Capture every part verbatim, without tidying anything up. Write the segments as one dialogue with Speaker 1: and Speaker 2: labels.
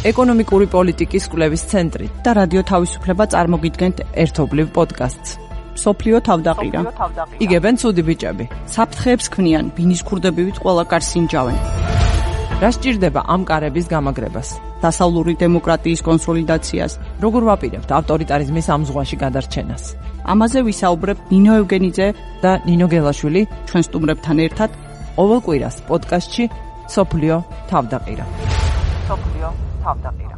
Speaker 1: ეკონომიკური პოლიტიკის კვლევის ცენტრი და რადიო თავისუფლება წარმოგიდგენთ ერთობლივ პოდკასტს. სოფლიო თავდაყირა. იგებენ ცუდი ბიჭები. საფრთხეებს ქმნიან, ბინის ქურდებივით ყველა კარს ინჯავენ. რა სჭირდება ამ კარების გამაგრებას? დასავლური დემოკრატიის კონსოლიდაციას. როგორ ვაპირებთ ავტორიტარიზმის ამ ზღვაში გადარჩენას? ამაზე ვისაუბრებ ნინო ევგენიძე და ნინო გელაშვილი ჩვენ სტუმრებთან ერთად ყოველ კვირას პოდკასტში სოფლიო თავდაყირა. სოფლიო თავდაყირა.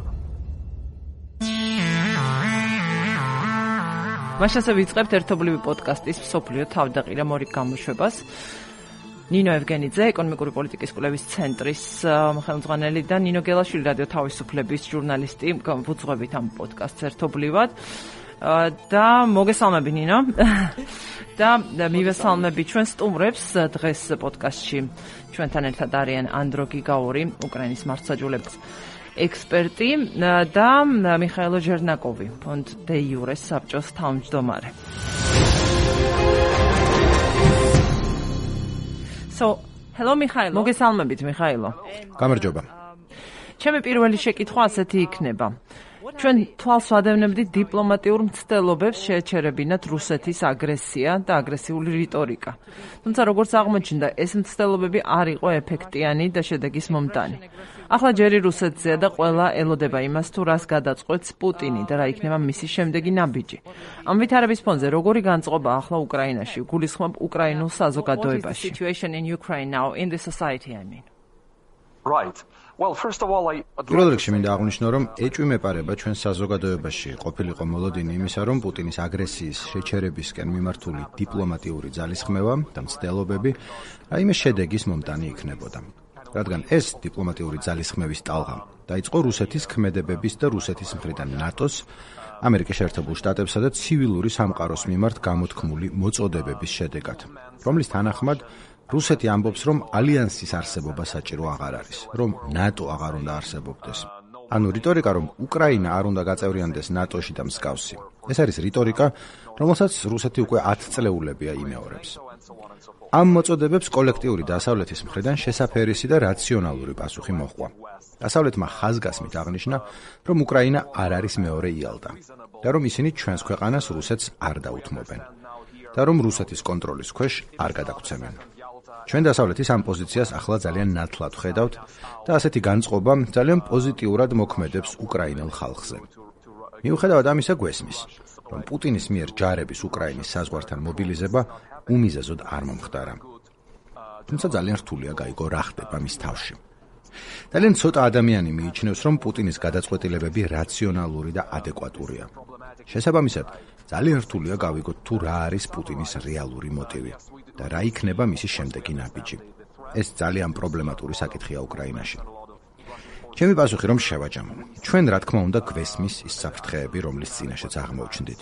Speaker 1: მაშასე ვიწყებთ ერთობლივი პოდკასტის სოფლიო თავდაყირა მორიგ გამოშვებას. ნინო ევგენიძე, ეკონომიკური პოლიტიკის კვლევის ცენტრის ხელმძღვანელი და ნინო გელაშვილი, რადიო თავისუფლების ჟურნალისტი, ვუძღვებით ამ პოდკასტს ერთობლივად. და მოგესალმები ნინო. და მივესალმები ჩვენ სტუმრებს დღეს პოდკასტში. ჩვენთან ერთად არიან ანდრო გიგაური, უკრაინის მართლმსაჯულების ექსპერტი და მიხაილო ჟერნაკოვი, ფონდ დე იურეს საბჭოს თავმჯდომარე. So, hello მიხაილო. მოგესალმებით მიხაილო.
Speaker 2: გამარჯობა.
Speaker 1: ჩემი პირველი შეკითხვა ასეთი იქნება. ჩვენ თვალს ვადევნებდით დიპლომატიურ მცდელობებს შეეჩერებინათ რუსეთის აგრესია და აგრესიული რიტორიკა. თუმცა როგორც აღმოჩნდა, ეს მცდელობები არ იყო ეფექტიანი და შედეგის მომტანი. ახლა ჯერი რუსეთზეა და ყველა ელოდება იმას, თუ რას გადაწყვეტს პუტინი და რა იქნება მისი შემდეგი ნაბიჯი. ამ ვითარების ფონზე როგორი განწყობა ახლა უკრაინაში, გულისხმობ უკრაინულ საზოგადოებაში?
Speaker 3: Right. Well, first of all, I
Speaker 2: პირველ რიგში მინდა აღვნიშნო, რომ ეჭვი მეპარება ჩვენ საზოგადოებაში ყოფილიყო მოლოდინი იმისა, რომ პუტინის აგრესიის შეჩერებისკენ მიმართული დიპლომატიური ძალისხმევა და მცდელობები რაიმე შედეგის მომტანი იქნებოდა. რადგან ეს დიპლომატიური ძალისხმევის ტალღა დაიწყო რუსეთის ქმედებების და რუსეთის მხრიდან ნატოს, ამერიკის შეერთებულ შტატებსა და ცივილური სამყაროს მიმართ გამოთქმული მოწოდებების შედეგად, რომლის თანახმად რუსეთი ამბობს, რომ ალიანსის არსებობა საჭირო აღარ არის, რომ ნატო აღარ უნდა არსებობდეს. ანუ რიტორიკა, რომ უკრაინა არ უნდა გაწევრიანდეს ნატოში და მსგავსი. ეს არის რიტორიკა, რომელსაც რუსეთი უკვე ათი წლეულებია იმეორებს. ამ მოწოდებებს კოლექტიური დასავლეთის მხრიდან შესაფერისი და რაციონალური პასუხი მოჰყვა. დასავლეთმა ხაზგასმით აღნიშნა, რომ უკრაინა არ არის მეორე იალდა და რომ ისინი ჩვენს ქვეყანას რუსეთს არ დაუთმობენ და რომ რუსეთის კონტროლის ქვეშ არ გადაგცემენ. ჩვენ დასავლეთის ამ პოზიციას ახლა ძალიან ნათლად ვხედავთ და ასეთი განწყობა ძალიან პოზიტიურად მოქმედებს უკრაინელ ხალხზე. მიუხედავად ამისა გვესმის, რომ პუტინის მიერ ჯარების უკრაინის საზღვართან მობილიზება უმიზეზოდ არ მომხდარა. თუმცა ძალიან რთულია გაიგო რა ხდება მის თავში. ძალიან ცოტა ადამიანი მიიჩნევს, რომ პუტინის გადაწყვეტილებები რაციონალური და ადეკვატურია. შესაბამისად, ძალიან რთულია გავიგოთ თუ რა არის პუტინის რეალური მოტივი და რა იქნება მისი შემდეგი ნაბიჯი. ეს ძალიან პრობლემატური საკითხია უკრაინაში. ჩემი პასუხი რომ შევაჯამო. ჩვენ რა თქმა უნდა გვესმის ის საფრთხეები, რომლის წინაშეც აღმოჩნდით.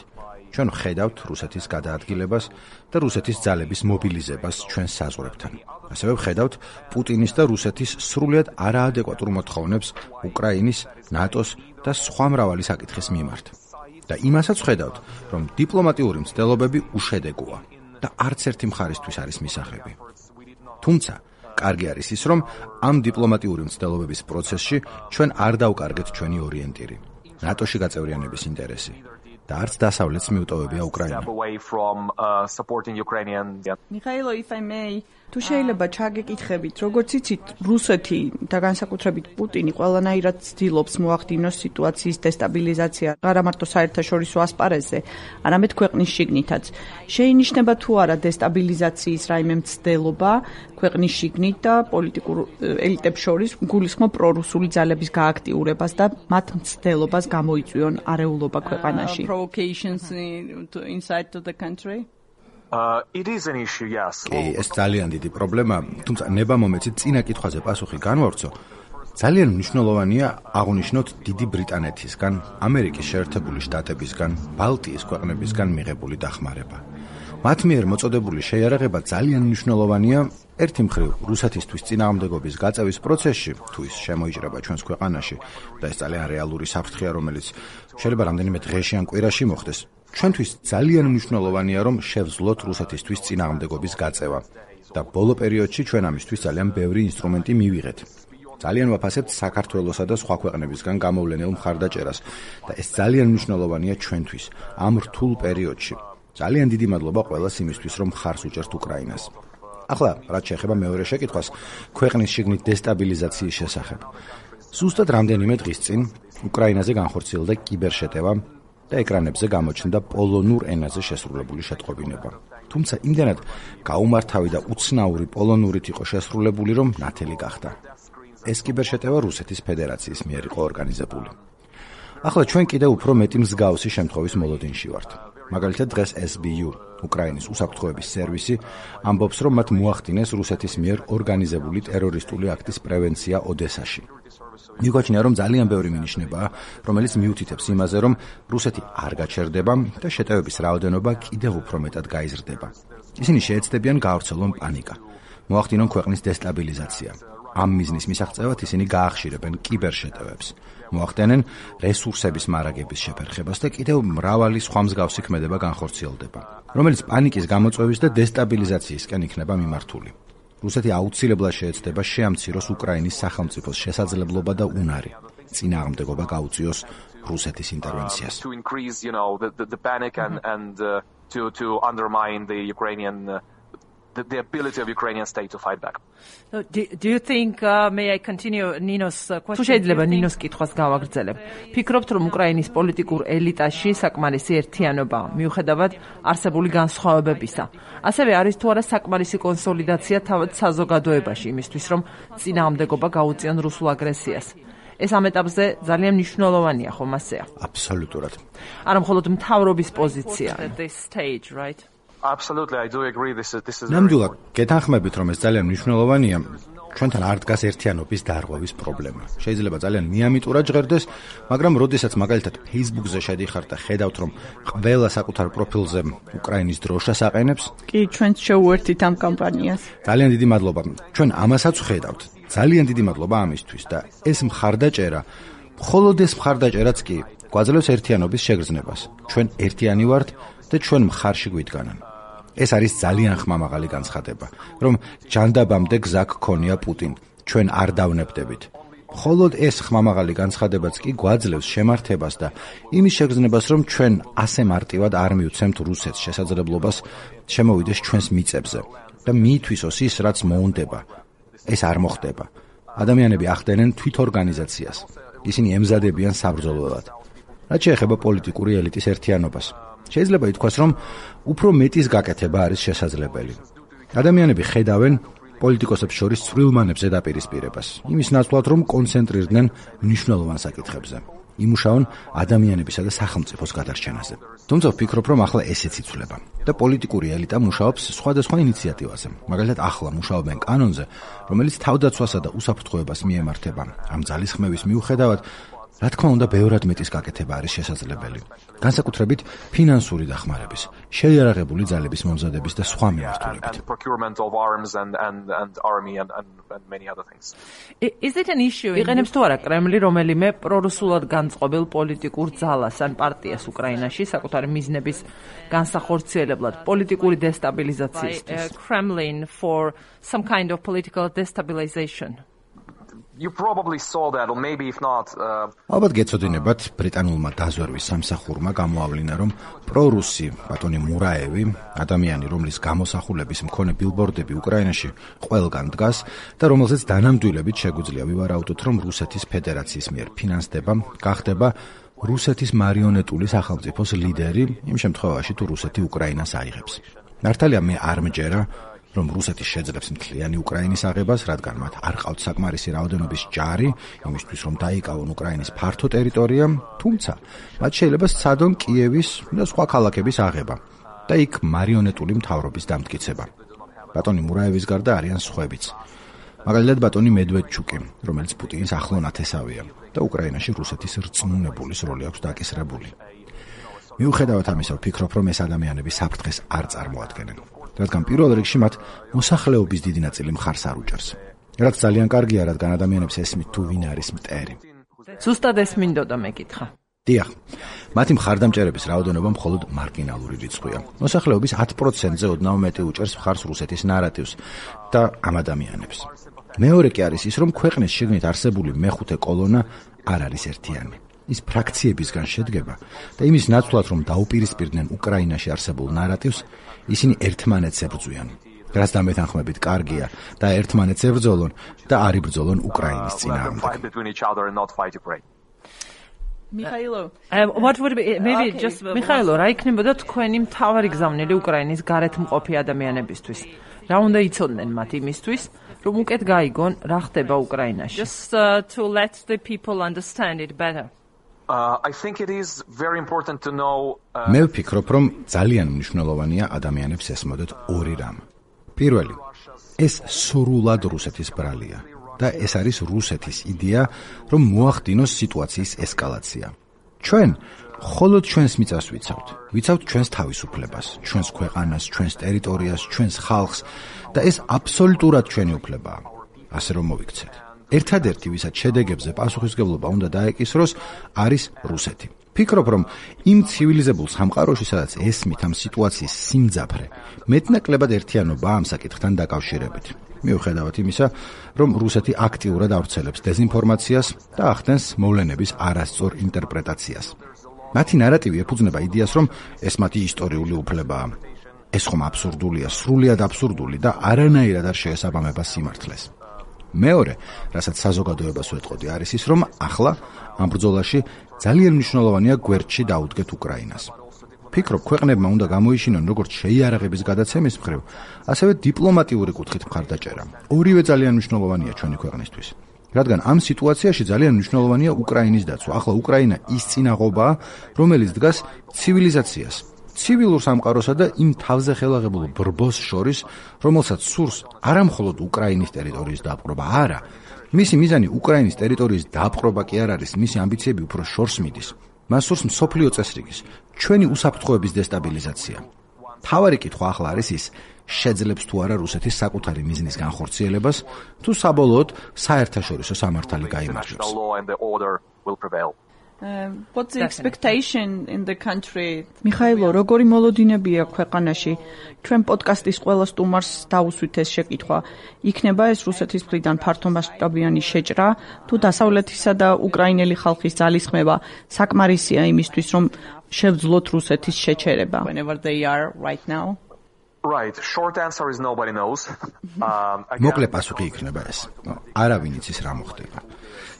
Speaker 2: ჩვენ ვხედავთ რუსეთის გადაადგილებას და რუსეთის ძალების მობილიზებას ჩვენ საზღვრებთან. ასევე ვხედავთ პუტინის და რუსეთის სრულიად არაადეკვატურ მოთხოვნებს უკრაინის, ნატოს და სხვა მრავალი საკითხის მიმართ. და იმასაც ვხედავთ, რომ დიპლომატიური მცდელობები უშედეგოა და არც ერთი მხარისთვის არის მისაღები. თუმცა, კარგი არის ის, რომ ამ დიპლომატიური მცდელობების პროცესში ჩვენ არ დავკარგეთ ჩვენი ორიენტირი, ნატოში გაწევრიანების ინტერესი და არც დასავლეთს მიუტოვებია უკრაინა.
Speaker 4: მიხაილო, if I may, თუ შეიძლება ჩაგეკითხებით, როგორც იცით, რუსეთი და განსაკუთრებით პუტინი ყველანაირად ცდილობს მოახდინოს სიტუაციის დესტაბილიზაცია, არა მარტო საერთაშორისო ასპარეზზე, არამედ ქვეყნის შიგნითაც. შეინიშნება თუ არა დესტაბილიზაციის რაიმე მცდელობა ქვეყნის შიგნით და პოლიტიკურ ელიტებს შორის გულისხმობ პრორუსული ძალების გააქტიურებას და მათ მცდელობას გამოიწვიონ არეულობა ქვეყანაში.
Speaker 5: Provocations inside to the country?
Speaker 3: Uh, it is an issue, yes.
Speaker 2: ეს ძალიან დიდი პრობლემა, თუმცა ნება მომეცით წინა კითხვაზე პასუხი განვავრცო. ძალიან მნიშვნელოვანია აღვნიშნოთ დიდი ბრიტანეთისგან, ამერიკის შეერთებული შტატებისგან, ბალტიის ქვეყნებისგან მიღებული დახმარება. მათ მიერ მოწოდებული შეიარაღება ძალიან მნიშვნელოვანია ერთი მხრივ რუსეთისთვის წინააღმდეგობის გაწევის პროცესში, თუ ის შემოიჭრება ჩვენს ქვეყანაში და ეს ძალიან რეალური საფრთხეა, რომელიც შეიძლება რამდენიმე დღეში ან კვირაში მოხდეს. ჩვენთვის ძალიან მნიშვნელოვანია, რომ შევძლოთ რუსეთისთვის წინააღმდეგობის გაწევა და ბოლო პერიოდში ჩვენ ამისთვის ძალიან ბევრი ინსტრუმენტი მივიღეთ. ძალიან ვაფასებთ საქართველოსა და სხვა ქვეყნებისგან გამოვლენილ მხარდაჭერას და ეს ძალიან მნიშვნელოვანია ჩვენთვის ამ რთულ პერიოდში. ძალიან დიდი მადლობა ყველას იმისთვის, რომ მხარს უჭერთ უკრაინას. ახლა, რაც შეეხება მეორე შეკითხვას, ქვეყნის შიგნით დესტაბილიზაციის შესახებ. ზუსტად რამდენიმე დღის წინ უკრაინაზე განხორციელდა კიბერშეტევა და ეკრანებზე გამოჩნდა პოლონურ ენაზე შესრულებული შეტყობინება. თუმცა იმდენად გაუმართავი და უცნაური პოლონურით იყო შესრულებული, რომ ნათელი გახდა. ეს კიბერშეტევა რუსეთის ფედერაციის მიერ იყო ორგანიზებული. ახლა ჩვენ კიდევ უფრო მეტი მსგავსი შემთხვევის მოლოდინში ვართ. მაგალითად დღეს ეს ბი იუ, უკრაინის უსაფრთხოების სერვისი, ამბობს, რომ მათ მოახდინეს რუსეთის მიერ ორგანიზებული ტერორისტული აქტის პრევენცია ოდესაში. მიგვაჩნია, რომ ძალიან ბევრი მინიშნებაა, რომელიც მიუთითებს იმაზე, რომ რუსეთი არ გაჩერდება და შეტევების რაოდენობა კიდევ უფრო მეტად გაიზრდება. ისინი შეეცდებიან გაავრცელონ პანიკა, მოახდინონ ქვეყნის დესტაბილიზაცია. ამ მიზნის მისაღწევად ისინი გაახშირებენ კიბერშეტევებს, მოახდენენ რესურსების მარაგების შეფერხებას და კიდევ მრავალი სხვა მსგავსი ქმედება განხორციელდება, რომელიც პანიკის გამოწვევის და დესტაბილიზაციისკენ იქნება მიმართული. რუსეთი აუცილებლად შეეცდება შეამციროს უკრაინის სახელმწიფოს შესაძლებლობა და უნარი წინააღმდეგობა გაუწიოს რუსეთის ინტერვენციას.
Speaker 3: To increase, you know, the, the, the panic and, and uh, to, to undermine the Ukrainian uh, The, the ability of Ukrainian state to fight back.
Speaker 1: So, do, do you think, uh, may I continue Ninos uh, question? თუ შეიძლება ნინოს კითხვას გავაგრძელებ. ფიქრობთ, რომ უკრაინის პოლიტიკურ ელიტაში საკმარისი ერთიანობა მიუხედავად არსებული განსხვავებებისა. ასევე არის თუ არა საკმარისი კონსოლიდაცია თავად საზოგადოებაში იმისთვის, რომ წინააღმდეგობა გაუწიონ რუსულ აგრესიას. ეს ამ ეტაპზე ძალიან მნიშვნელოვანია, ხომ ასეა?
Speaker 2: აბსოლუტურად.
Speaker 1: არა მხოლოდ მთავრობის პოზიცია. At this stage, right?
Speaker 3: Absolutely, I do agree. This is this is.
Speaker 2: ნამდვილად, გეთანხმებით, რომ ეს ძალიან მნიშვნელოვანია. ჩვენთან არ დგას ერთიანობის დარღვევის პრობლემა. შეიძლება ძალიან მიამიტურად ჟღერდეს, მაგრამ როდესაც მაგალითად Facebook-ზე შედიხარ და ხედავთ, რომ ყველა საკუთარ პროფილზე უკრაინის დროშას აყენებს,
Speaker 4: კი, ჩვენც შევუერთით ამ კამპანიას.
Speaker 2: ძალიან დიდი მადლობა. ჩვენ ამასაც ვხედავთ. ძალიან დიდი მადლობა ამისთვის და ეს მხარდაჭერა, მხოლოდ ეს მხარდაჭერაც კი გვაძლევს ერთიანობის შეგრძნებას. ჩვენ ერთიანი ვართ და ჩვენ მხარში გვიდგანან. ეს არის ძალიან ხმამაღალი განცხადება, რომ ჯანდაბამდე გზა გქონია პუტინ, ჩვენ არ დავნებდებით. მხოლოდ ეს ხმამაღალი განცხადებაც კი გვაძლევს შემართებას და იმის შეგრძნებას, რომ ჩვენ ასე მარტივად არ მივცემთ რუსეთს შესაძლებლობას შემოვიდეს ჩვენს მიწებზე და მიითვისოს ის, რაც მოუნდება. ეს არ მოხდება. ადამიანები ახდენენ თვითორგანიზაციას. ისინი ემზადებიან საბრძოლველად. რაც შეეხება პოლიტიკური ელიტის ერთიანობას, შეიძლება ითქვას, რომ უფრო მეტის გაკეთება არის შესაძლებელი. ადამიანები ხედავენ პოლიტიკოსებს შორის ცვლილმანებს ზედაპირისპირებას, იმის ნაცვლად, რომ კონცენტრირდნენ მნიშვნელოვან საკითხებზე. იმუშაონ ადამიანებისა და სახელმწიფოს გადარჩენაზე. თუმცა ვფიქრობ, რომ ახლა ესეც იცვლება და პოლიტიკური ელიტა მუშაობს სხვადასხვა ინიციატივაზე. მაგალითად, ახლა მუშაობენ კანონზე, რომელიც თავდაცვასა და უსაფრთხოებას მიემართება. ამ ძალისხმევის მიუხედავად, რა თქმა უნდა, ბევრად მეტის გაკეთება არის შესაძლებელი. განსაკუთრებით ფინანსური დახმარების, შეიარაღებული ძალების მომზადების და სხვა მიმართულებით.
Speaker 1: Is it an issue? იყენებს თუ არა კრემლი რომელიმე პრორუსულად განწყობილ პოლიტიკურ ძალას ან პარტიას უკრაინაში საკუთარი მიზნების განსახორციელებლად პოლიტიკური დესტაბილიზაციისთვის? Kremlin for some kind of political destabilization.
Speaker 3: You probably saw that, or maybe if not.
Speaker 2: ალბათ გეცოდინებათ, ბრიტანულმა დაზვერვის სამსახურმა გამოავლინა, რომ პრორუსი ბატონი მურაევი, ადამიანი, რომლის გამოსახულების მქონე ბილბორდები უკრაინაში ყველგან დგას და რომელზეც დანამდვილებით შეგვიძლია ვივარაუდოთ, რომ რუსეთის ფედერაციის მიერ ფინანსდება, გახდება რუსეთის მარიონეტული სახელმწიფოს ლიდერი, იმ შემთხვევაში თუ რუსეთი უკრაინას აიღებს. მართალია მე არ მჯერა, რომ რუსეთი შეძლებს მთლიანი უკრაინის აღებას, რადგან მათ არ ყავთ საკმარისი რაოდენობის ჯარი, იმისთვის რომ დაიკავონ უკრაინის ფართო ტერიტორია, თუმცა მათ შეიძლება სცადონ კიევის და სხვა ქალაქების აღება და იქ მარიონეტული მთავრობის დამტკიცება. ბატონი მურაევის გარდა არიან სხვებიც. მაგალითად ბატონი მედვედჩუკი, რომელიც პუტინის ახლო ნათესავია და უკრაინაში რუსეთის რწმუნებულის როლი აქვს დაკისრებული. მიუხედავად ამისა, ვფიქრობ, რომ ეს ადამიანები საფრთხეს არ წარმოადგენენ. რადგან პირველ რიგში მათ მოსახლეობის დიდი ნაწილი მხარს არ უჭერს. რაც ძალიან კარგია, რადგან ადამიანებს ესმით თუ ვინ არის მტერი.
Speaker 1: ზუსტად ეს მინდოდა მეკითხა.
Speaker 2: დიახ. მათი მხარდამჭერების რაოდენობა მხოლოდ მარგინალური რიცხვია. მოსახლეობის ათ პროცენტზე ოდნავ მეტი უჭერს მხარს რუსეთის ნარატივს და ამ ადამიანებს. მეორე კი არის ის, რომ ქვეყნის შიგნით არსებული მეხუთე კოლონა არ არის ერთიანი. ის ფრაქციებისგან შედგება და იმის ნაცვლად, რომ დაუპირისპირდნენ უკრაინაში არსებულ ნარატივს, ისინი ერთმანეთს ებრძვიან. რაც დამეთანხმებით კარგია და ერთმანეთს ებრძოლონ და არ იბრძოლონ უკრაინის წინააღმდეგ.
Speaker 5: Mikhailo.
Speaker 1: Uh, what would be maybe okay. just Mikhailo, რა იქნებოდა თქვენი მთავარი გზავნილი უკრაინის გარეთმყოფი ადამიანებისთვის? რა უნდა იცოდნენ მათ იმისთვის, რომ უკეთ გაიგონ რა ხდება უკრაინაში? Just uh, to let the people understand it better.
Speaker 3: Uh, I think it is very important to know uh,
Speaker 2: მე ვფიქრობ, რომ ძალიან მნიშვნელოვანია ადამიანებს ესმოდეთ ორი რამ. პირველი, ეს სრულად რუსეთის ბრალია. და ეს არის რუსეთის იდეა, რომ მოახდინოს სიტუაციის ესკალაცია. ჩვენ მხოლოდ ჩვენს მიწას ვიცავთ. ვიცავთ ჩვენს თავისუფლებას, ჩვენს ქვეყანას, ჩვენს ტერიტორიას, ჩვენს ხალხს და ეს აბსოლუტურად ჩვენი უფლებაა. ასე რომ მოვიქცეთ. ერთადერთი, ვისაც შედეგებზე პასუხისმგებლობა უნდა დაეკისროს, არის რუსეთი. ფიქრობ, რომ იმ ცივილიზებულ სამყაროში, სადაც ესმით ამ სიტუაციის სიმძაფრე, მეტნაკლებად ერთიანობაა ამ საკითხთან დაკავშირებით. მიუხედავად იმისა, რომ რუსეთი აქტიურად ავრცელებს დეზინფორმაციას და ახდენს მოვლენების არასწორ ინტერპრეტაციას. მათი ნარატივი ეფუძნება იდეას, რომ ეს მათი ისტორიული უფლებაა. ეს ხომ აბსურდულია, სრულიად აბსურდული და არანაირად არ შეესაბამება სიმართლეს. მეორე, რასაც საზოგადოებას ვეტყოდი, არის ის, რომ ახლა ამ ბრძოლაში ძალიან მნიშვნელოვანია გვერდში დაუდგეთ უკრაინას. ფიქრობ, ქვეყნებმა უნდა გამოიშინონ როგორც შეიარაღების გადაცემის მხრივ, ასევე დიპლომატიური კუთხით მხარდაჭერა. ორივე ძალიან მნიშვნელოვანია ჩვენი ქვეყნისთვის. რადგან ამ სიტუაციაში ძალიან მნიშვნელოვანია უკრაინის დაცვა. ახლა უკრაინა ის წინაღობაა, რომელიც დგას ცივილიზაციას, ცივილურ სამყაროსა და იმ თავზე ხელაღებულ ბრბოს შორის, რომელსაც სურს არა მხოლოდ უკრაინის ტერიტორიის დაპყრობა, არა. მისი მიზანი უკრაინის ტერიტორიის დაპყრობა კი არ არის, მისი ამბიციები უფრო შორს მიდის. მას სურს მსოფლიო წესრიგის, ჩვენი უსაფრთხოების დესტაბილიზაცია. თავარი კითხვა ახლა არის ის, შეძლებს თუ არა რუსეთის საკუთარი მიზნის განხორციელებას, თუ საბოლოოდ საერთაშორისო სამართალი გაიმარჯვებს.
Speaker 5: Uh, what's the expectation in the country?
Speaker 4: მიხაილო, როგორი მოლოდინებია ქვეყანაში? ჩვენ პოდკასტის ყველა სტუმარს დაუსვით ეს შეკითხვა. იქნება ეს რუსეთის მხრიდან ფართომასშტაბიანი შეჭრა, თუ დასავლეთისა და უკრაინელი ხალხის ძალისხმევა საკმარისია იმისთვის, რომ შევძლოთ რუსეთის შეჩერება?
Speaker 5: Whenever they are right now.
Speaker 3: Right, short answer is nobody knows. Um,
Speaker 2: მოკლე პასუხი იქნება ეს. არავინ იცის რა მოხდება.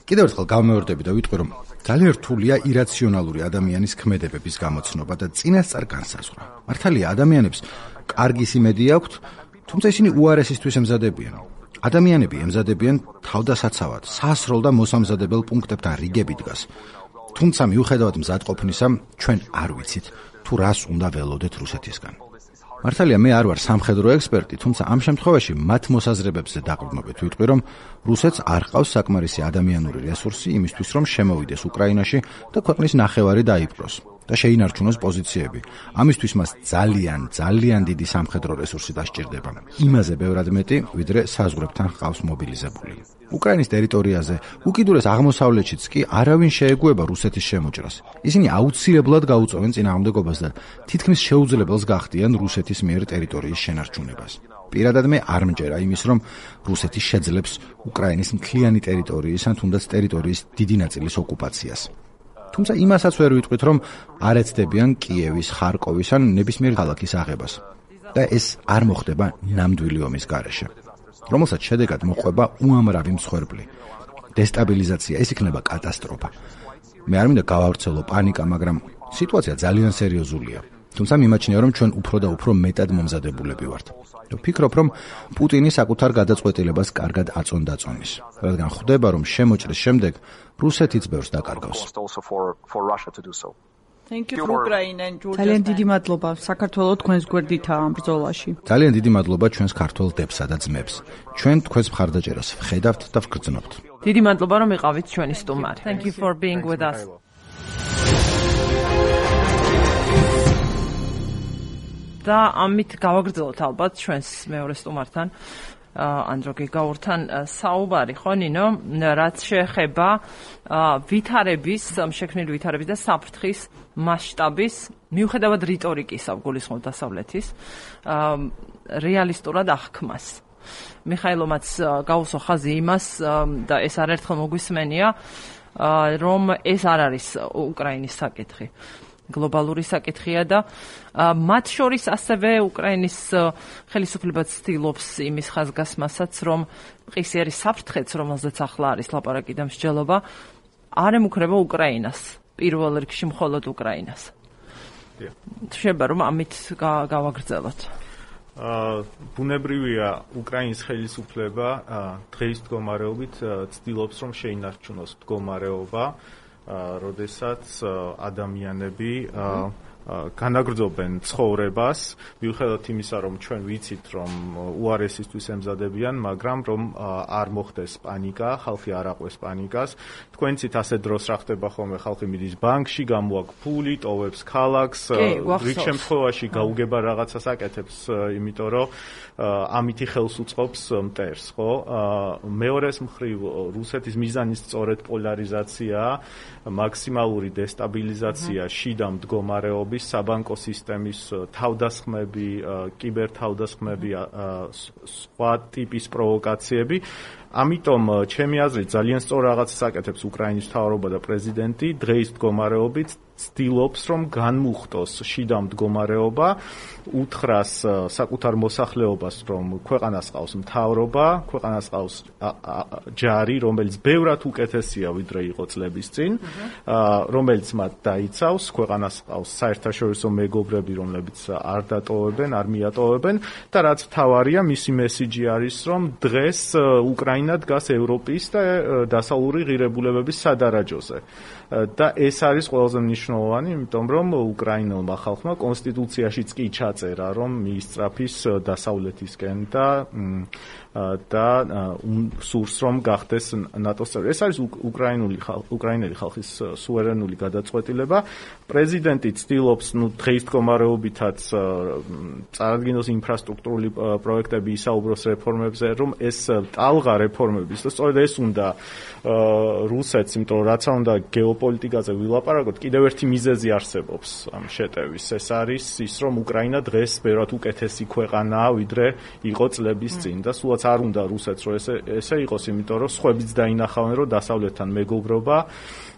Speaker 2: კიდევ ერთხელ გამეორდები და ვიტყვი, რომ ძალიან რთულია ირაციონალური ადამიანის ქმედებების გამოცნობა და წინასწარ განსაზღვრა. მართალია, ადამიანებს კარგი სიმედი აქვთ, თუმცა ისინი უარესისთვის ემზადებიან. ადამიანები ემზადებიან თავდასაცავად, სასროლ და მოსამზადებელ პუნქტებთან რიგები დგას. თუმცა მიუხედავად მზადყოფნისა, ჩვენ არ ვიცით, თუ რას უნდა ველოდეთ რუსეთისგან. მართალია, მე არ ვარ სამხედრო ექსპერტი, თუმცა ამ შემთხვევაში მათ მოსაზრებებზე დაყრდნობით ვიტყვი, რომ რუსეთს არ ყავს საკმარისი ადამიანური რესურსი იმისთვის, რომ შემოვიდეს უკრაინაში და ქვეყნის ნახევარი დაიპყროს და შეინარჩუნოს პოზიციები. ამისთვის მას ძალიან, ძალიან დიდი სამხედრო რესურსი დასჭირდება. იმაზე ბევრად მეტი, ვიდრე საზღვრებთან ჰყავს მობილიზებული. უკრაინის ტერიტორიაზე, უკიდურეს აღმოსავლეთშიც კი არავინ შეეგუება რუსეთის შემოჭრას. ისინი აუცილებლად გაუწევენ წინააღმდეგობას და თითქმის შეუძლებელს გახდიან რუსეთის მიერ ტერიტორიის შენარჩუნებას. პირადად მე არ მჯერა იმის, რომ რუსეთი შეძლებს უკრაინის მთლიანი ტერიტორიის ან თუნდაც ტერიტორიის დიდი ნაწილის ოკუპაციას. თუმცა იმასაც ვერ ვიტყვით, რომ არ ეცდებიან კიევის, ხარკოვის ან ნებისმიერ ქალაქის აღებას. და ეს არ მოხდება ნამდვილი ომის გარეშე, რომელსაც შედეგად მოყვება უამრავი მსხვერპლი. დესტაბილიზაცია, ეს იქნება კატასტროფა. მე არ მინდა გავავრცელო პანიკა, მაგრამ სიტუაცია ძალიან სერიოზულია. თუმცა მიმაჩნია, რომ ჩვენ უფრო და უფრო მეტად მომზადებულები ვართ. ვფიქრობ, რომ პუტინი საკუთარ გადაწყვეტილებას კარგად აწონდაწონის, რადგან ხვდება, რომ შემოჭრის შემდეგ რუსეთიც ბევრს დაკარგავს.
Speaker 5: Thank you for Ukraine and Georgia.
Speaker 4: ძალიან დიდი მადლობა საქართველოს თქვენს გვერდითაა ამ ბრძოლაში.
Speaker 2: ძალიან დიდი მადლობა ჩვენს ქართულ დებსა და ძმებს. ჩვენ თქვენს მხარდაჭერას ვხედავთ და ვგრძნობთ.
Speaker 1: დიდი მადლობა, რომ იყავით ჩვენი სტუმარი. Thank you for being with us. და ამით გავაგრძელოთ ალბათ ჩვენს მეორე სტუმართან ანდრო გიგაურთან საუბარი, ხო ნინო, რაც შეეხება ვითარების, შექმნილი ვითარების და საფრთხის მასშტაბის, მიუხედავად რიტორიკისა, გულისხმობ დასავლეთის, რეალისტურად აღქმას. მიხაილომაც გაუსვა ხაზი იმას და ეს არაერთხელ მოგვისმენია, რომ ეს არ არის უკრაინის საკითხი. გლობალური საკითხია და მათ შორის ასევე უკრაინის ხელისუფლება ცდილობს იმის ხაზგასმასაც, რომ მყისიერი საფრთხეც, რომელზეც ახლა არის ლაპარაკი და მსჯელობა, არ ემუქრება უკრაინას, პირველ რიგში მხოლოდ უკრაინას. შეიძლება რომ ამით გავაგრძელოთ.
Speaker 6: ბუნებრივია უკრაინის ხელისუფლება დღეის მდგომარეობით ცდილობს რომ შეინარჩუნოს მდგომარეობა, როდესაც ადამიანები განაგრძობენ ცხოვრებას, მიუხედავად იმისა, რომ ჩვენ ვიცით, რომ უარესისთვის ემზადებიან, მაგრამ რომ არ მოხდეს პანიკა, ხალხი არ აყვეს პანიკას. თქვენ ცით ასე დროს რა ხდება ხოლმე, ხალხი მიდის ბანკში, გამოაქვს ფული, ტოვებს ქალაქს, რიგ შემთხვევაში გაუგება რაღაცას აკეთებს, იმიტომ რომ ამითი ხელს უწყობს მტერს, ხო? მეორეს მხრივ რუსეთის მიზანი სწორედ პოლარიზაციაა, მაქსიმალური დესტაბილიზაცია შიდა მდგომარეობის, საბანკო სისტემის თავდასხმები, კიბერთავდასხმები, სხვა ტიპის პროვოკაციები. ამიტომ ჩემი აზრით ძალიან სწორ რაღაცას აკეთებს უკრაინის მთავრობა და პრეზიდენტი, დღეის მდგომარეობით ცდილობს რომ განმუხტოს შიდა მდგომარეობა, უთხრას საკუთარ მოსახლეობას, რომ ქვეყანას ყავს მთავრობა, ქვეყანას ყავს ჯარი, რომელიც ბევრად უკეთესია ვიდრე იყო წლების წინ, რომელიც მათ დაიცავს, ქვეყანას ყავს საერთაშორისო მეგობრები, რომლებიც არ დატოვებენ, არ მიატოვებენ და რაც მთავარია, მისი მესიჯი არის, რომ დღეს უკრაინა დგას ევროპის და დასავლური ღირებულებების სადარაჯოზე. და ეს არის ყველაზე მნიშვნელოვანი, იმიტომ რომ უკრაინელმა ხალხმა კონსტიტუციაშიც კი ჩაწერა, რომ მიისწრაფის დასავლეთისკენ და და სურს რომ გახდეს ნატოს წევრი. ეს არის უკრაინული უკრაინელი ხალხის სუვერენული გადაწყვეტილება. პრეზიდენტი ცდილობს, ნუ დღეის მდგომარეობითაც წარადგინოს ინფრასტრუქტურული პროექტები, ისაუბროს რეფორმებზე, რომ ეს ტალღა რეფორმების და სწორედ ეს უნდა რუსეთს, იმიტომ რომ რაც უნდა გეოპოლიტიკაზე ვილაპარაკოთ, კიდევ ერთი მიზეზი არსებობს ამ შეტევის. ეს არის ის, რომ უკრაინა დღეს ბევრად უკეთესი ქვეყანაა, ვიდრე იყო წლების წინ და სულაც არ უნდა რუსეთს რომ ესე ესე იყოს, იმიტომ რომ სხვებიც დაინახავენ, რომ დასავლეთთან მეგობრობა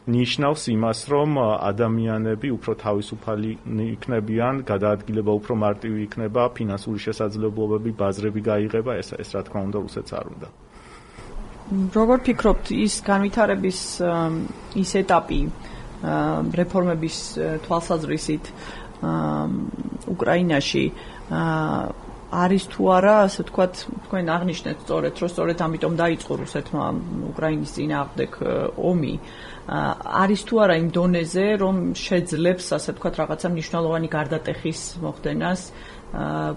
Speaker 6: ნიშნავს იმას, რომ ადამიანები უფრო თავისუფალი იქნებიან, გადაადგილება უფრო მარტივი იქნება, ფინანსური შესაძლებლობები, ბაზრები გაიღება, ეს ეს რა თქმა უნდა რუსეთს არ უნდა.
Speaker 4: როგორ ფიქრობთ, ის განვითარების ის ეტაპი რეფორმების თვალსაზრისით უკრაინაში არის თუ არა, ასე ვთქვათ, თქვენ აღნიშნეთ სწორედ, რომ სწორედ ამიტომ დაიწყო რუსეთმა უკრაინის წინააღმდეგ ომი. არის თუ არა იმ დონეზე, რომ შეძლებს, ასე ვთქვათ, რაღაცა მნიშვნელოვანი გარდატეხის მოხდენას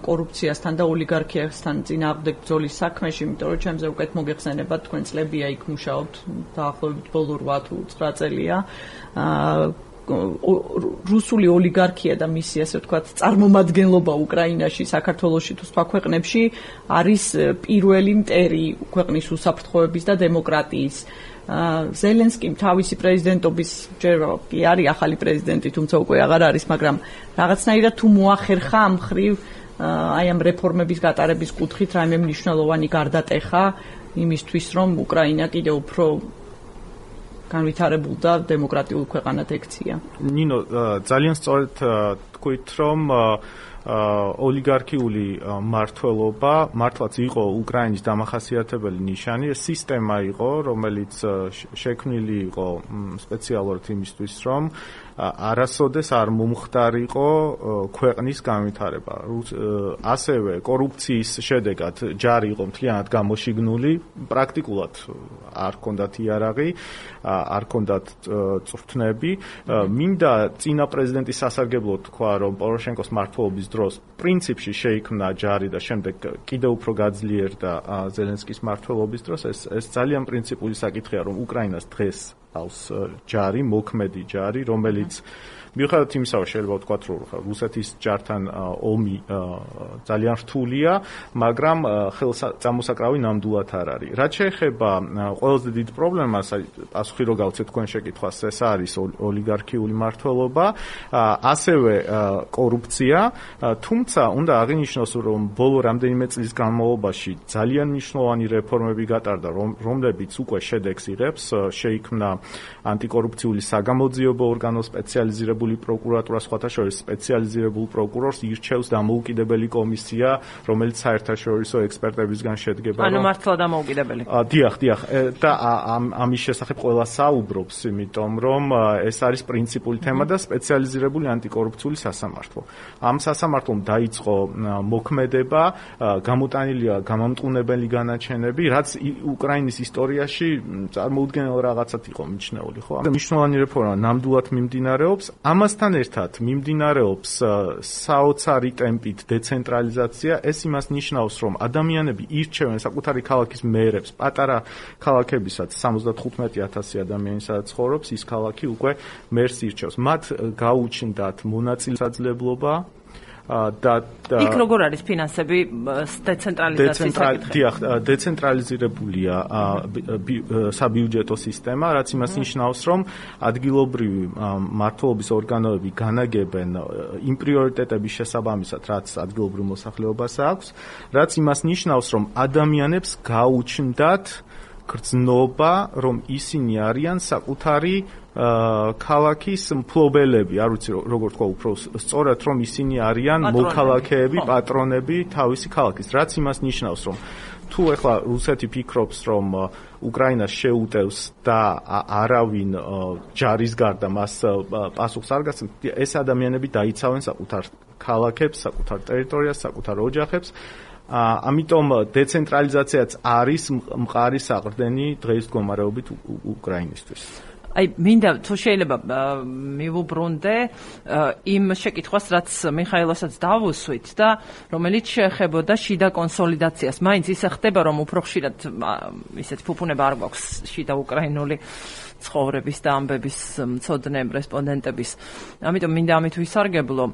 Speaker 4: კორუფციასთან და ოლიგარქიასთან წინააღმდეგ ბრძოლის საქმეში, იმიტომ რომ ჩემზე უკეთ მოგეხსენებათ, თქვენ წლებია იქ მუშაობთ, დაახლოებით ბოლო რვა თუ ცხრა წელია. რუსული ოლიგარქია და მისი, ასე ვთქვათ, წარმომადგენლობა უკრაინაში, საქართველოში თუ სხვა ქვეყნებში არის პირველი მტერი ქვეყნის უსაფრთხოების და დემოკრატიის. ზელენსკიმ თავისი პრეზიდენტობის ჯერ კი არის ახალი პრეზიდენტი, თუმცა უკვე აღარ არის, მაგრამ რაღაცნაირად თუ მოახერხა ამ ხრივ აი ამ რეფორმების გატარების კუთხით რაიმე მნიშვნელოვანი გარდატეხა იმისთვის, რომ უკრაინა კიდევ უფრო განვითარებულ და დემოკრატიულ ქვეყანად ექცია.
Speaker 6: ნინო, ძალიან სწორედ თქვით, რომ ოლიგარქიული მართლობა მართლაც იყო უკრაინის დამახასიათებელი ნიშანი, ეს სისტემა იყო, რომელიც შექმნილი იყო სპეციალურად იმისთვის, რომ არასოდეს არ მომხდარიყო ქვეყნის განვითარება. ასევე კორუფციის შედეგად ჯარი იყო მთლიანად გამოშიგნული, პრაქტიკულად არ ჰქონდათ იარაღი, არ ჰქონდათ წვრთნები. მინდა წინა პრეზიდენტის სასარგებლოდ თქვა, რომ პოროშენკოს მმართველობის დროს პრინციპში შეიქმნა ჯარი და შემდეგ კიდევ უფრო გაძლიერდა ზელენსკის მმართველობის დროს. ეს ეს ძალიან პრინციპული საკითხია, რომ უკრაინას დღეს ჰყავს ჯარი, მოქმედი ჯარი, რომელიც მიუხედავად იმისა, რომ შეიძლება ვთქვათ, რომ რუსეთის ჯართან ომი ძალიან რთულია, მაგრამ ხელსამოსაკრავი ნამდვილად არ არის. რაც შეეხება ყველაზე დიდ პრობლემას, პასუხი რო გავცეთ თქვენ შეკითხვას, ეს არის ოლიგარქიული მმართველობა, ასევე კორუფცია, თუმცა უნდა აღინიშნოს, რომ ბოლო რამდენიმე წლის განმავლობაში ძალიან მნიშვნელოვანი რეფორმები გატარდა, რომლებიც უკვე შედეგს იღებს, შეიქმნა ანტიკორუფციული საგამოძიებო ორგანო, სპეციალიზირებული პროკურატურა, სხვათა შორის სპეციალიზირებულ პროკურორს ირჩევს დამოუკიდებელი კომისია, რომელიც საერთაშორისო ექსპერტებისგან შედგება.
Speaker 1: ანუ მართლა დამოუკიდებელი.
Speaker 6: დიახ, დიახ, და ამის შესახებ ყველა საუბრობს, იმიტომ რომ ეს არის პრინციპული თემა და სპეციალიზირებული ანტიკორუფციული სასამართლო. ამ სასამართლომ დაიწყო მოქმედება, გამოტანილია გამამტყუნებელი განაჩენები, რაც უკრაინის ისტორიაში წარმოუდგენელ რაღაცად იყო მიჩნეული, ხო? მნიშვნელოვანი რეფორმა ნამდვილად მიმდინარეობს. ამასთან ერთად მიმდინარეობს საოცარი ტემპით დეცენტრალიზაცია. ეს იმას ნიშნავს, რომ ადამიანები ირჩევენ საკუთარი ქალაქის მერებს, პატარა ქალაქებისაც სამოცდათხუთმეტი ათასი ადამიანი სადაც ცხოვრობს, ის ქალაქი უკვე მერს ირჩევს. მათ გაუჩნდათ მონაწილეობა და
Speaker 1: იქ როგორ არის ფინანსები დეცენტრალიზაციის საკითხი?
Speaker 6: დიახ, დეცენტრალიზირებულია საბიუჯეტო სისტემა, რაც იმას ნიშნავს, რომ ადგილობრივი მმართველობის ორგანოები განაგებენ იმ პრიორიტეტების შესაბამისად, რაც ადგილობრივ მოსახლეობას აქვს, რაც იმას ნიშნავს, რომ ადამიანებს გაუჩნდათ გრძნობა, რომ ისინი არიან საკუთარი ქალაქის მფლობელები, არ ვიცი როგორ თქვა უფრო სწორად, რომ ისინი არიან მოქალაქეები, პატრონები თავისი ქალაქის, რაც იმას ნიშნავს, რომ თუ ეხლა რუსეთი ფიქრობს, რომ უკრაინას შეუტევს და არავინ ჯარის გარდა მას პასუხს არ გასცემს, ეს ადამიანები დაიცავენ საკუთარ ქალაქებს, საკუთარ ტერიტორიას, საკუთარ ოჯახებს. ამიტომ დეცენტრალიზაციაც არის მყარი საყრდენი დღეის მდგომარეობით უკრაინისთვის.
Speaker 1: აი, მინდა თუ შეიძლება მივუბრუნდე იმ შეკითხვას, რაც მიხაილოსაც დავუსვით და რომელიც შეეხებოდა შიდა კონსოლიდაციას. მაინც ისე ხდება, რომ უფრო ხშირად ისეთ ფუფუნება არ გვაქვს შიდა უკრაინული ცხოვრების და ამბების მცოდნე რესპონდენტების. ამიტომ მინდა ამით ვისარგებლო,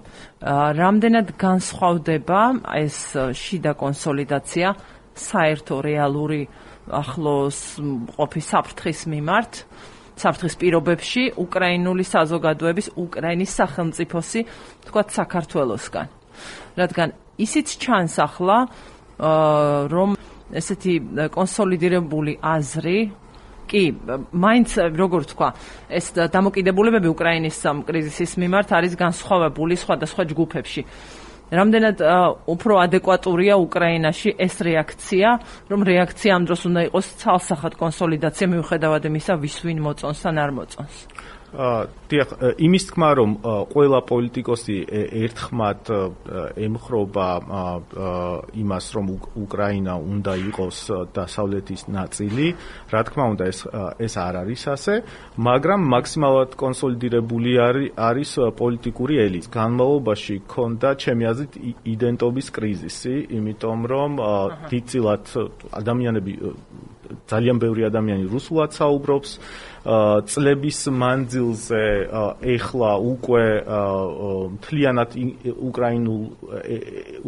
Speaker 1: რამდენად განსხვავდება ეს შიდა კონსოლიდაცია საერთო რეალური ახლოს ყოფი საფრთხის მიმართ, საფრთხის პირობებში უკრაინული საზოგადოების, უკრაინის სახელმწიფოსი, თქვათ საქართველოსგან. რადგან ისიც ჩანს ახლა, რომ ესეთი კონსოლიდირებული აზრი კი, მაინც როგორ თქვა, ეს დამოკიდებულებები უკრაინის კრიზისის მიმართ არის განსხვავებული სხვადასხვა ჯგუფებში. რამდენად უფრო ადეკვატურია უკრაინაში ეს რეაქცია, რომ რეაქცია ამ დროს უნდა იყოს ცალსახად კონსოლიდაცია მიუხედავად იმისა, ვის ვინ მოწონს ან არ მოწონს.
Speaker 6: დიახ, იმის თქმა, რომ ყველა პოლიტიკოსი ერთხმად ემხრობა იმას, რომ უკრაინა უნდა იყოს დასავლეთის ნაწილი, რა თქმა უნდა, ეს ეს არ არის ასე, მაგრამ მაქსიმალურად კონსოლიდირებული არის პოლიტიკური ელიტი. განმავლობაში ქონდა ჩემი აზრით იდენტობის კრიზისი, იმიტომ რომ დიდწილად ადამიანები ძალიან ბევრი ადამიანი რუსულად საუბრობს, წლების მანძილზე ეხლა უკვე მთლიანად უკრაინულ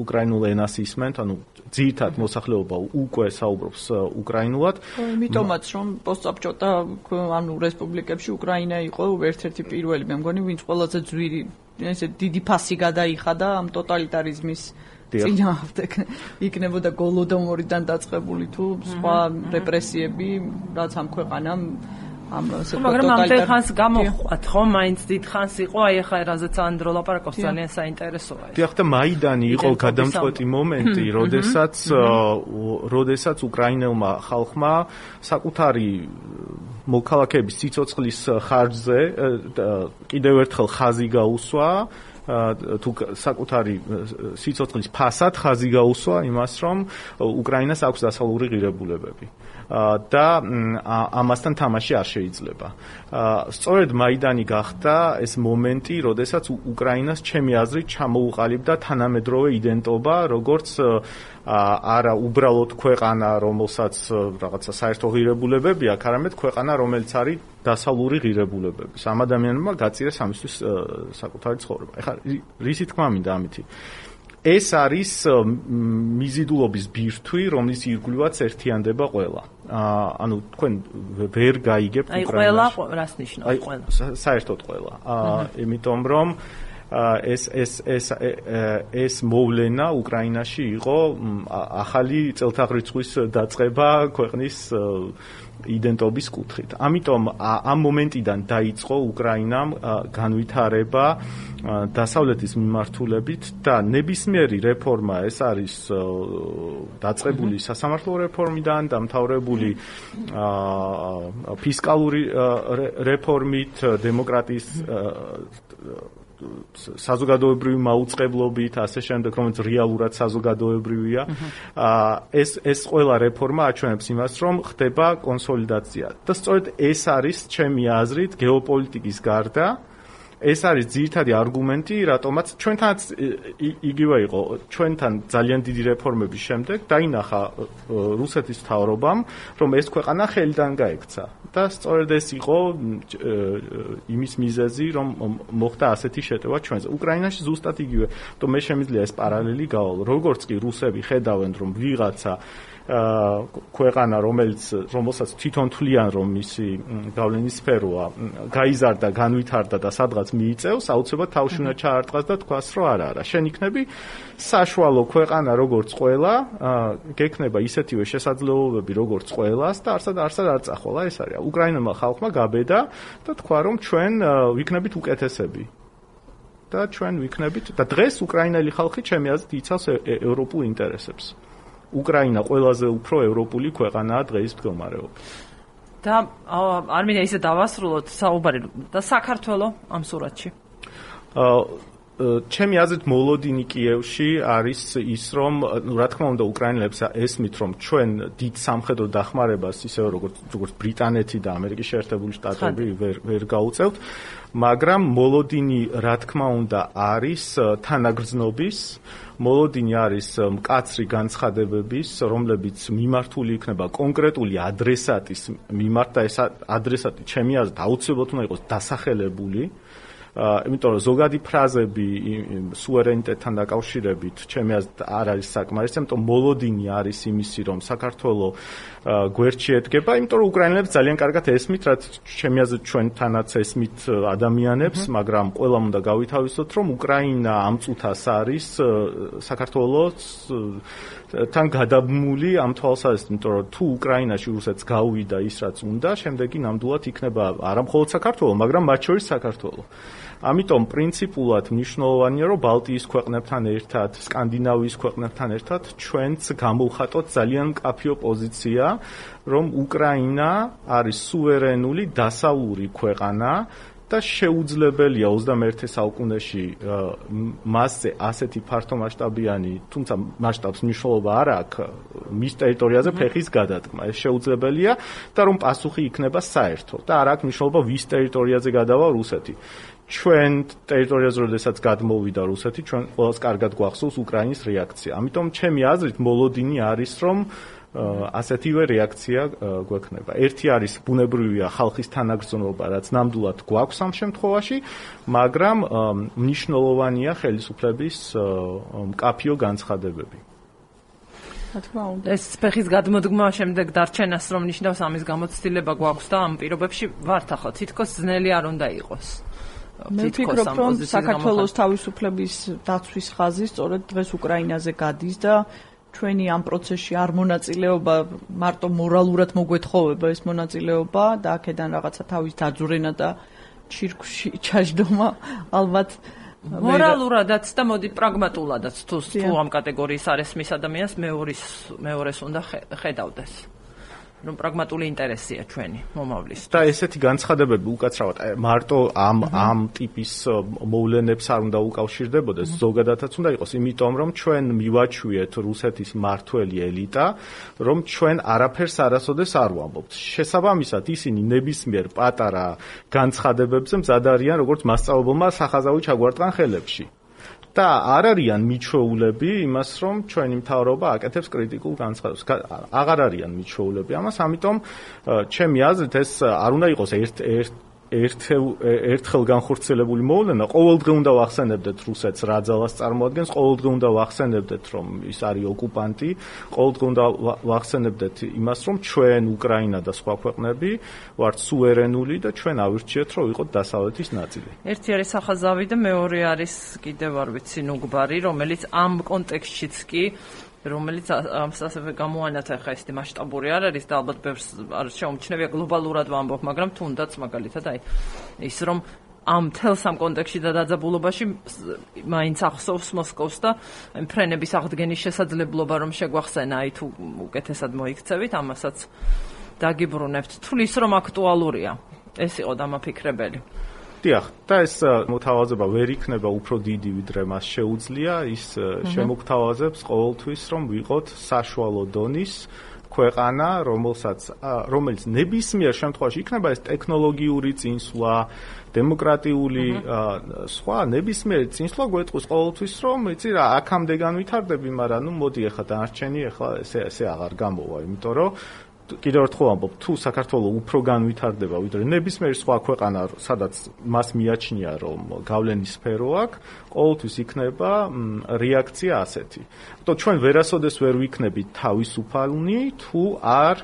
Speaker 6: უკრაინულ ენას ისმენთ, ანუ ძირითად მოსახლეობა უკვე საუბრობს უკრაინულად.
Speaker 5: იმიტომაც რომ პოსტსაბჭოთა ანუ რესპუბლიკებში უკრაინა იყო ერთ-ერთი პირველი, მე მგონი, ვინც ყველაზე ძვირი ესე დიდი ფასი გადაიხადა ამ ტოტალიტარიზმის წინააღმდეგ. იქნებოდა გოლოდომორიდან დაწყებული თუ სხვა რეპრესიები, რაც ამ ქვეყანამ ამ
Speaker 1: მაგრამ ამდენ ხანს გამოყვათ, ხო? მაინც დიდ ხანს იყო, აი ახლა რაზეც ანდრო ლაპარაკობს, ძალიან საინტერესოა.
Speaker 6: დიახ, და მაიდანი იყო გადამწყვეტი მომენტი, როდესაც როდესაც უკრაინელმა ხალხმა საკუთარი მოქალაქეების სიცოცხლის ხარჯზე კიდევ ერთხელ ხაზი გაუსვა, თუ საკუთარი სიცოცხლის ფასად ხაზი გაუსვა იმას, რომ უკრაინას აქვს დასავლური ღირებულებები და ამასთან თამაში არ შეიძლება. სწორედ მაიდანი გახდა ეს მომენტი, როდესაც უკრაინას ჩემი აზრით ჩამოუყალიბდა თანამედროვე იდენტობა, როგორც არა უბრალოდ ქვეყანა, რომელსაც რაღაცა საერთო ღირებულებები აქვს, არამედ ქვეყანა, რომელიც არის დასავლური ღირებულებების. ამ ადამიანებმა გაწირეს ამისთვის საკუთარი ცხოვრება. ეხლა რისი თქმა მინდა ამითი? ეს არის მიზიდულობის ბირთვი, რომლის ირგვლივაც ერთიანდება ყველა. ანუ თქვენ ვერ გაიგებთ
Speaker 1: უკრაინაში. აი ყველა რას ნიშნავს ყველა?
Speaker 6: საერთოდ ყველა. იმიტომ რომ ეს ეს ეს ეს მოვლენა უკრაინაში იყო ახალი წელთაღრიცხვის დაწყება ქვეყნის იდენტობის კუთხით. ამიტომ ამ მომენტიდან დაიწყო უკრაინამ განვითარება დასავლეთის მიმართულებით და ნებისმიერი რეფორმა, ეს არის დაწყებული სასამართლო რეფორმიდან, დამთავრებული ფისკალური რეფორმით, დემოკრატიის საზოგადოებრივი მაუწყებლობით, ასე შემდეგ, რომელიც რეალურად საზოგადოებრივია. ეს ეს ყველა რეფორმა აჩვენებს იმას, რომ ხდება კონსოლიდაცია. და სწორედ ეს არის ჩემი აზრით გეოპოლიტიკის გარდა ეს არის ძირითადი არგუმენტი, რატომაც ჩვენთანაც იგივე იყო, ჩვენთან ძალიან დიდი რეფორმების შემდეგ დაინახა რუსეთის მთავრობამ, რომ ეს ქვეყანა ხელიდან გაექცა. და სწორედ ეს იყო იმის მიზეზი, რომ მოხდა ასეთი შეტევა ჩვენზე. უკრაინაში ზუსტად იგივე, თუმცა მე შემიძლია ეს პარალელი გავალო. როგორც კი რუსები ხედავენ, რომ ვიღაცა ქვეყანა, რომელიც რომელსაც თვითონ თვლიან, რომ მისი გავლენის სფეროა, გაიზარდა, განვითარდა და სადღაც მიიწევს, აუცილებლად თავში უნდა ჩაარტყას და თქვას, რომ არა, არა, შენ იქნები საშუალო ქვეყანა, როგორც ყველა, გექნება ისეთივე შესაძლებლობები, როგორც ყველას და არსად არსად არ წახვალა, ეს არის. უკრაინელმა ხალხმა გაბედა და თქვა, რომ ჩვენ ვიქნებით უკეთესები. და ჩვენ ვიქნებით და დღეს უკრაინელი ხალხი ჩემი აზრით იცავს ევროპულ ინტერესებს. უკრაინა ყველაზე უფრო ევროპული ქვეყანაა დღეის მდგომარეობით.
Speaker 1: და არ მინდა ისე დავასრულოთ საუბარი და საქართველოს ამ სურათში.
Speaker 6: ჩემი აზრით მოლოდინი კიევში არის ის, რომ რა თქმა უნდა უკრაინელებს ესმით, რომ ჩვენ დიდ სამხედრო დახმარებას ისევე როგორც როგორც ბრიტანეთი და ამერიკის შეერთებული შტატები ვერ ვერ გაუწევთ, მაგრამ მოლოდინი რა თქმა უნდა არის თანაგრძნობის, მოლოდინი არის მკაცრი განცხადებების, რომლებიც მიმართული იქნება კონკრეტული ადრესატის მიმართ და ეს ადრესატი ჩემი აზრით აუცილებლად უნდა იყოს დასახელებული. იმიტომ რომ ზოგადი ფრაზები სუვერენიტეტთან დაკავშირებით ჩემი აზრით არ არის საკმარისი, იმიტომ მოლოდინი არის იმისი, რომ საქართველოს გვერდში ედგება, იმიტომ რომ უკრაინელებს ძალიან კარგად ესმით, რაც ჩემი აზრით ჩვენთანაც ესმით ადამიანებს, მაგრამ ყველამ უნდა გავითავისოთ, რომ უკრაინა ამ წუთას არის საქართველოს თან გადაბმული ამ თვალსაზრისით, იმიტომ რომ თუ უკრაინაში რუსეთს გაუვიდა ის რაც უნდა, შემდეგი ნამდვილად იქნება არა მხოლოდ საქართველოს, მაგრამ მათ შორის საქართველოს. ამიტომ პრინციპულად მნიშვნელოვანია, რომ ბალტიის ქვეყნებთან ერთად, სკანდინავიის ქვეყნებთან ერთად ჩვენც გამოვხატოთ ძალიან მკაფიო პოზიცია, რომ უკრაინა არის სუვერენული დასავლური ქვეყანა და შეუძლებელია ოცდამეერთე საუკუნეში მასზე ასეთი ფართომასშტაბიანი, თუმცა მასშტაბს მნიშვნელობა არ აქვს, მის ტერიტორიაზე ფეხის გადადგმა. ეს შეუძლებელია და რომ პასუხი იქნება საერთო და არ აქვს მნიშვნელობა ვის ტერიტორიაზე გადავა რუსეთი. ჩვენ ტერიტორიაზე როდესაც გადმოვიდა რუსეთი, ჩვენ ყველას კარგად გვახსოვს უკრაინის რეაქცია. ამიტომ ჩემი აზრით მოლოდინი არის, რომ ასეთივე რეაქცია გვექნება. ერთი არის ბუნებრივია ხალხის თანაგრძნობა, რაც ნამდვილად გვაქვს ამ შემთხვევაში, მაგრამ მნიშვნელოვანია ხელისუფლების მკაფიო განცხადებები.
Speaker 1: ეს ფეხის გადმოდგმა შემდეგ დარჩენას რომ ნიშნავს ამის გამოცდილება გვაქვს და ამ პირობებში ვართ ახლა თითქოს ძნელი არ უნდა იყოს.
Speaker 5: მე ვფიქრობ, რომ საქართველოს თავისუფლების დაცვის ხაზი სწორედ დღეს უკრაინაზე გადის და ჩვენი ამ პროცესში არ მონაწილეობა მარტო მორალურად მოგვეთხოვება ეს მონაწილეობა და აქედან რაღაცა თავის დაძვრენა და ჩირკში ჩაждომა ალბათ
Speaker 1: მორალურადაც და მოდი პრაგმატულადაც თუ თუ ამ კატეგორიის არესმის ადამიანს მეორის მეორეს უნდა ხედავდეს. რომ პრაგმატული ინტერესია ჩვენი მომავლის.
Speaker 6: და ესეთი განცხადებები უკაცრავად მარტო ამ ამ ტიპის მოვლენებს არ უნდა უკავშირდებოდეს, ზოგადადაც უნდა იყოს, იმიტომ რომ ჩვენ მივაჩვიეთ რუსეთის მართველი ელიტა, რომ ჩვენ არაფერს არასოდეს არ ვამბობთ. შესაბამისად, ისინი ნებისმიერ პატარა განცხადებებზე მზად არიან, როგორც მასწავლებელმა სახაზავი ჩაგვარტყან ხელებში. და არ არიან მიჩვეულები იმას, რომ ჩვენი მთავრობა აკეთებს კრიტიკულ განცხადებას. აღარ არიან მიჩვეულები ამას, ამიტომ ჩემი აზრით ეს არ უნდა იყოს ერთ ერთ ერთხელ განხორციელებული მოვლენა. ყოველდღე უნდა ვახსენებდეთ რუსეთს რა ძალას წარმოადგენს, ყოველდღე უნდა ვახსენებდეთ, რომ ის არის ოკუპანტი, ყოველდღე უნდა ვახსენებდეთ იმას, რომ ჩვენ უკრაინა და სხვა ქვეყნები ვართ სუვერენული და ჩვენ ავირჩიეთ, რომ ვიყოთ დასავლეთის ნაწილი.
Speaker 1: ერთი არის სახაზავი და მეორე არის კიდევ არ ვიცი ნუგბარი, რომელიც ამ კონტექსტშიც კი რომელიც ასევე გამოანათა ხა ეს მასშტაბური არ არის და ალბათ ბევრს არ შეუმჩნევია გლობალურად ვამბობ, მაგრამ თუნდაც მაგალითად აი ის რომ ამ თელს ამ კონტექსტში და დაძაბულობაში მაინც ახსოვს მოსკოვს და ფრენების აღდგენის შესაძლებლობა რომ შეგვახსენა აი თუ უკეთესად მოიქცევით ამასაც დაგიბრუნებთ თulis რომ აქტუალურია ეს იყო დამაფიქრებელი.
Speaker 6: დიახ, და ეს მოთავაზება ვერ იქნება უფრო დიდი ვიდრე მას შეუძლია, ის შემოგთავაზებს ყოველთვის რომ ვიყოთ საშუალო დონის ქვეყანა, რომელსაც რომელიც ნებისმიერ შემთხვევაში იქნება ეს ტექნოლოგიური წინსვლა, დემოკრატიული სხვა ნებისმიერ წინსვლა გვეტყვის ყოველთვის რომ იცი რა აქამდე განვითარდები, მაგრამ ნუ მოდი ახლა დანარჩენი ახლა ესე ესე აღარ გამოვა, იმიტომ რომ კიდევ ერთხელ ვამბობ, თუ საქართველოს უფრო განვითარდება ვიდრე ნებისმიერი სხვა ქვეყანა, სადაც მას მიაჩნია რომ გავლენის სფერო აქვს, ყოველთვის იქნება რეაქცია ასეთი. თუმცა ჩვენ ვერასოდეს ვერ ვიქნებით თავისუფალნი, თუ არ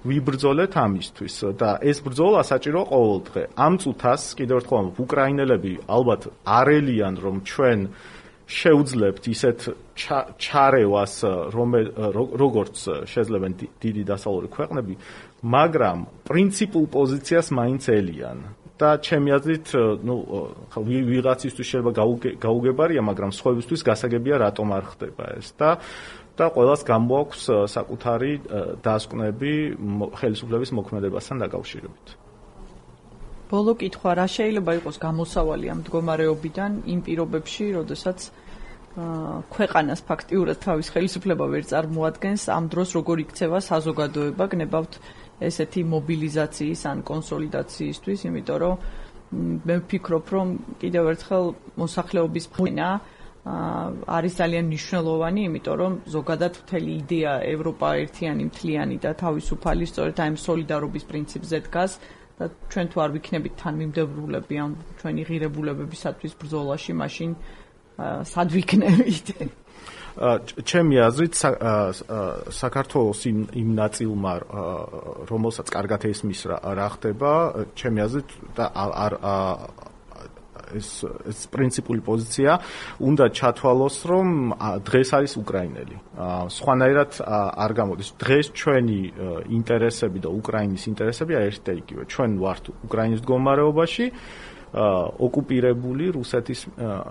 Speaker 6: ვიბრძოლეთ ამისთვის და ეს ბრძოლა საჭირო ყოველდღე. ამ წუთას კიდევ ერთხელ ვამბობ, უკრაინელები ალბათ არელიან რომ ჩვენ შეუძლებთ ისეთ ჩარევას, როგორც შეძლებენ დიდი დასავლური ქვეყნები, მაგრამ პრინციპულ პოზიციას მაინც ელიან. და ჩემი აზრით, ნუ ვიღაცისთვის შეიძლება გაუგებარია, მაგრამ სხვებისთვის გასაგებია რატომ არ ხდება ეს და და ყველას გამოაქვს საკუთარი დასკვნები ხელისუფლების მოქმედებასთან დაკავშირებით.
Speaker 5: ბოლო კითხვა, რა შეიძლება იყოს გამოსავალი ამ მდგომარეობიდან იმ პირობებში, როდესაც ქვეყანას ფაქტიურად თავის ხელისუფლება ვერ წარმოადგენს, ამ დროს როგორ იქცევა საზოგადოება, გნებავთ ესეთი მობილიზაციის ან კონსოლიდაციისთვის, იმიტომ რომ მე ვფიქრობ, რომ კიდევ ერთხელ მოსახლეობის ფენა არის ძალიან მნიშვნელოვანი, იმიტომ რომ ზოგადად მთელი იდეა ევროპა ერთიანი, მთლიანი და თავისუფალი სწორედ ამ სოლიდარობის პრინციპზე დგას. და ჩვენ თუ არ ვიქნებით თანმიმდევრულები ამ ჩვენი ღირებულებებისათვის ბრძოლაში, მაშინ სად ვიქნებით?
Speaker 6: ჩემი აზრით საქართველოს იმ ნაწილმა, რომელსაც კარგად ესმის რა ხდება, ჩემი აზრით და არ ეს ეს პრინციპული პოზიცია უნდა ჩათვალოს, რომ დღეს არის უკრაინელი. სხვანაირად არ გამოდის. დღეს ჩვენი ინტერესები და უკრაინის ინტერესები არის ერთ და იგივე. ჩვენ ვართ უკრაინის მდგომარეობაში, ოკუპირებული რუსეთის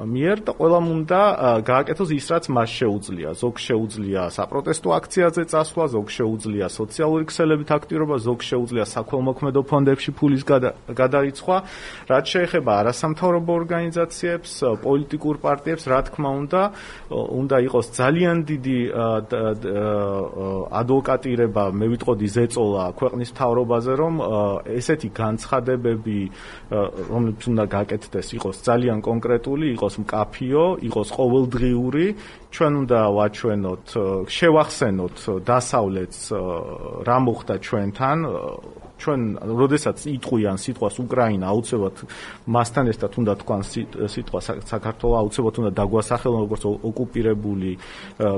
Speaker 6: მიერ და ყველამ უნდა გააკეთოს ის, რაც მას შეუძლია. ზოგ შეუძლია საპროტესტო აქციაზე წასვლა, ზოგ შეუძლია სოციალური ქსელებით აქტიურობა, ზოგ შეუძლია საქველმოქმედო ფონდებში ფულის გადარიცხვა. რაც შეეხება არასამთავრობო ორგანიზაციებს, პოლიტიკურ პარტიებს, რა თქმა უნდა, უნდა იყოს ძალიან დიდი ადვოკატირება, მე ვიტყოდი ზეწოლა ქვეყნის მთავრობაზე, რომ ესეთი განცხადებები, რომლებიც უნდა გაკეთდეს, იყოს ძალიან კონკრეტული, იყოს მკაფიო, იყოს ყოველდღიური, ჩვენ უნდა ვაჩვენოთ, შევახსენოთ დასავლეთს რა მოხდა ჩვენთან, ჩვენ როდესაც იტყვიან სიტყვას უკრაინა, აუცილებლად მასთან ერთად უნდა თქვან სიტყვა საქართველოს, აუცილებლად უნდა დაგვასახელონ როგორც ოკუპირებული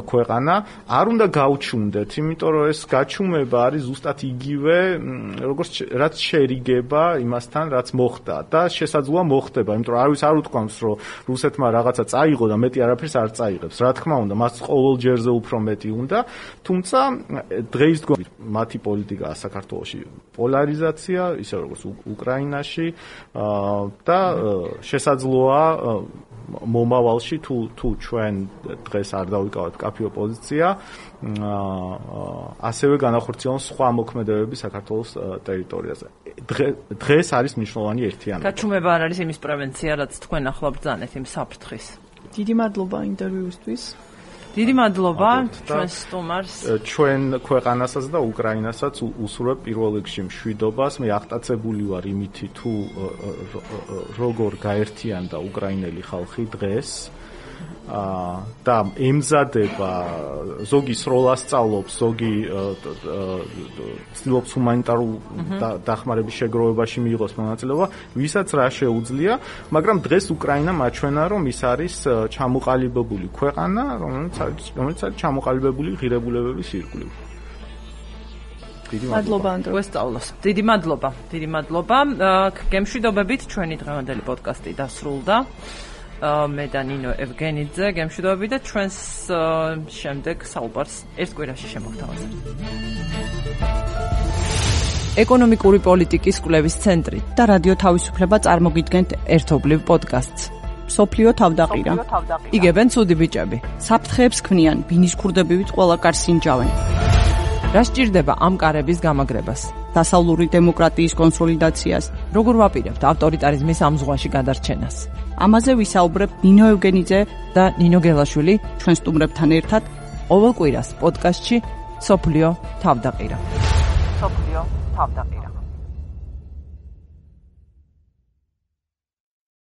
Speaker 6: ქვეყანა. არ უნდა გავჩუნდეთ, იმიტომ რომ ეს გაჩუმება არის ზუსტად იგივე, როგორც რაც შერიგება იმასთან, რაც მოხდა და შესაძლოა მოხდება, იმიტომ რომ არავის არ უთქვამს, რომ რუსეთმა რაღაცა წაიღო და მეტი არაფერს არ წაიღებს. რა თქმა უნდა, მას ყოველ ჯერზე უფრო მეტი უნდა, თუმცა დღეისდღეობით მათი პოლიტიკაა საქართველოში პოლარიზაცია, ისე როგორც უკრაინაში და შესაძლოა მომავალში თუ თუ ჩვენ დღეს არ დავიკავოთ კაფეო პოზიცია, ასევე განახორციელონ სხვა მოქმედებები საქართველოს ტერიტორიაზე. დღეს არის მნიშვნელოვანი ერთიანობა.
Speaker 1: გაჩუმება არ არის იმის პრევენცია, რაც თქვენ ახლა ბრძანეთ იმ საფრთხის.
Speaker 5: დიდი მადლობა ინტერვიუსთვის.
Speaker 1: დიდი მადლობა ჩვენ სტუმარს.
Speaker 6: ჩვენ ქვეყანასაც და უკრაინასაც უსურვებ პირველ რიგში მშვიდობას. მე აღტაცებული ვარ იმითი თუ როგორ გაერთიანდა უკრაინელი ხალხი დღეს და ემზადება ზოგი სროლას სწავლობს, ზოგი ცდილობს ჰუმანიტარულ დახმარების შეგროვებაში მიიღოს მონაწილეობა, ვისაც რა შეუძლია, მაგრამ დღეს უკრაინა მაჩვენა, რომ ის არის ჩამოყალიბებული ქვეყანა, რომელიც რომელიც არის ჩამოყალიბებული ღირებულებების ირგვლივ.
Speaker 1: მადლობა ანდრო ვესწავლოს. დიდი მადლობა. დიდი მადლობა. გემშვიდობებით ჩვენი დღევანდელი პოდკასტი დასრულდა. მე და ნინო ევგენიძე გემშვიდობებით და ჩვენს შემდეგ საუბარს ერთ კვირაში შემოგთავაზებთ. ეკონომიკური პოლიტიკის კვლევის ცენტრი და რადიო თავისუფლება წარმოგიდგენთ ერთობლივ პოდკასტს. სოფლიო თავდაყირა. იგებენ ცუდი ბიჭები. საფრთხეებს ქმნიან, ბინის ქურდებივით ყველა კარს ინჯავენ. რა სჭირდება ამ კარების გამაგრებას? დასავლური დემოკრატიის კონსოლიდაციას, როგორ ვაპირებთ ავტორიტარიზმის ამ ზღვაში გადარჩენას? ამაზე ვისაუბრებთ ნინო ევგენიძე და ნინო გელაშვილი ჩვენ სტუმრებთან ერთად ყოველ კვირას პოდკასტში სოფლიო თავდაყირა. სოფლიო თავდაყირა.